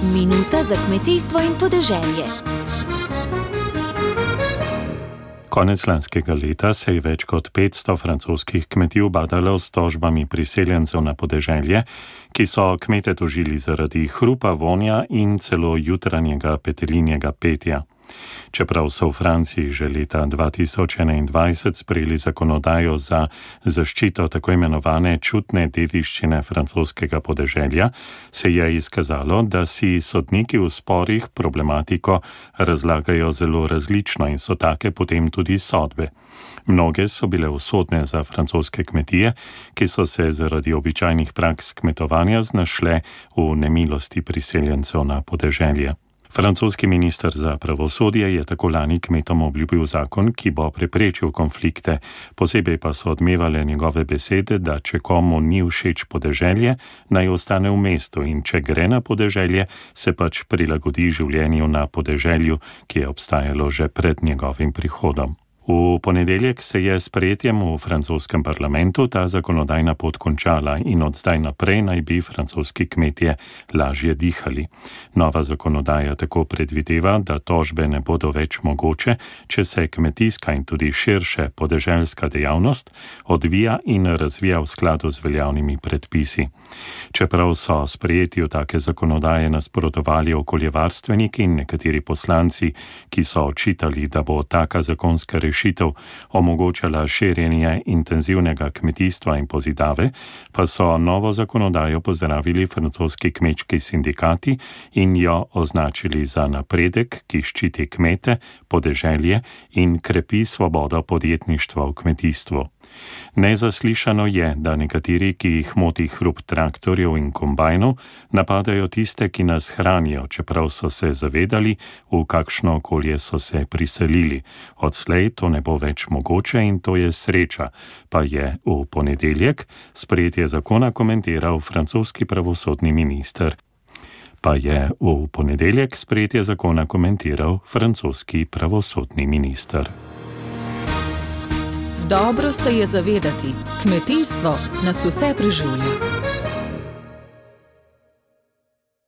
Minuta za kmetijstvo in podeželje. Konec lanskega leta se je več kot 500 francoskih kmetij ubadalo s tožbami priseljencev na podeželje, ki so kmete tožili zaradi hrupa, vonja in celo jutranjega petelinjega petja. Čeprav so v Franciji že leta 2021 sprejeli zakonodajo za zaščito tako imenovane čutne dediščine francoskega podeželja, se je izkazalo, da si sodniki v sporih problematiko razlagajo zelo različno in so take potem tudi sodbe. Mnoge so bile usodne za francoske kmetije, ki so se zaradi običajnih praks kmetovanja znašle v nemilosti priseljencev na podeželje. Francoski minister za pravosodje je tako lani kmetom obljubil zakon, ki bo preprečil konflikte, posebej pa so odmevale njegove besede, da če komu ni všeč podeželje, naj ostane v mestu in če gre na podeželje, se pač prilagodi življenju na podeželju, ki je obstajalo že pred njegovim prihodom. V ponedeljek se je s sprejetjem v francoskem parlamentu ta zakonodajna pot končala in od zdaj naprej naj bi francoski kmetje lažje dihali. Nova zakonodaja tako predvideva, da tožbe ne bodo več mogoče, če se kmetijska in tudi širše podeželska dejavnost odvija in razvija v skladu z veljavnimi predpisi. Čeprav so sprejetju take zakonodaje nasprotovali okoljevarstveniki in nekateri poslanci, ki so očitali, da bo taka zakonska rešitev omogočala širjenje intenzivnega kmetijstva in pozidave, pa so novo zakonodajo pozdravili francoski kmečki sindikati in jo označili za napredek, ki ščiti kmete, podeželje in krepi svobodo podjetništva v kmetijstvu. Nezaslišano je, da nekateri, ki jih moti hrup traktorjev in kombajnov, napadajo tiste, ki nas hranijo, čeprav so se zavedali, v kakšno okolje so se priselili. Odslej to ne bo več mogoče in to je sreča, pa je v ponedeljek sprejetje zakona komentiral francoski pravosodni minister. Dobro se je zavedati, kmetijstvo nas vse preživlja.